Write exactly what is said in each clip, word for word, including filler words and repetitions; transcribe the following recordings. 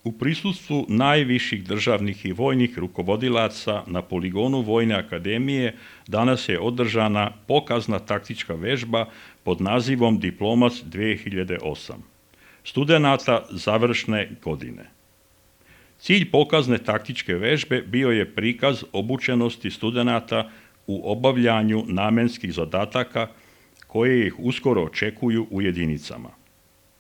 U prisustvu najviših državnih i vojnih rukovodilaca na poligonu Vojne akademije danas je održana pokazna taktička vežba pod nazivom Diplomac dvije hiljade osam studenata završne godine. Cilj pokazne taktičke vežbe bio je prikaz obučenosti studenata u obavljanju namenskih zadataka koje ih uskoro očekuju u jedinicama.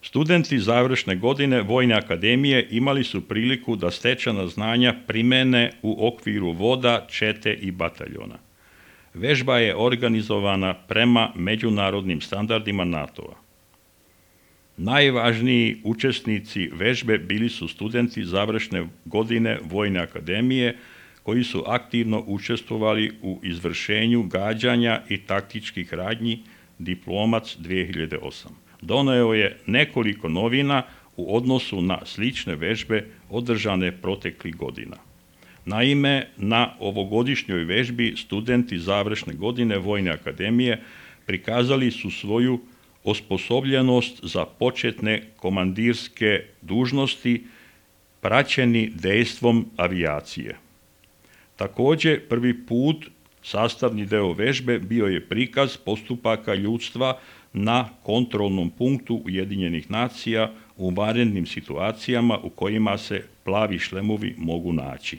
Studenti završne godine Vojne akademije imali su priliku da stečena znanja primene u okviru voda, čete i bataljona. Vežba je organizovana prema međunarodnim standardima NATO-a. Najvažniji učesnici vežbe bili su studenti završne godine Vojne akademije koji su aktivno učestvovali u izvršenju gađanja i taktičkih radnji Diplomac dvije hiljade osam. Doneo je nekoliko novina u odnosu na slične vežbe održane proteklih godina. Naime, na ovogodišnjoj vežbi studenti završne godine Vojne akademije prikazali su svoju osposobljenost za početne komandirske dužnosti praćeni dejstvom avijacije. Također, prvi put sastavni deo vežbe bio je prikaz postupaka ljudstva na kontrolnom punktu Ujedinjenih nacija u vanrednim situacijama u kojima se plavi šlemovi mogu naći.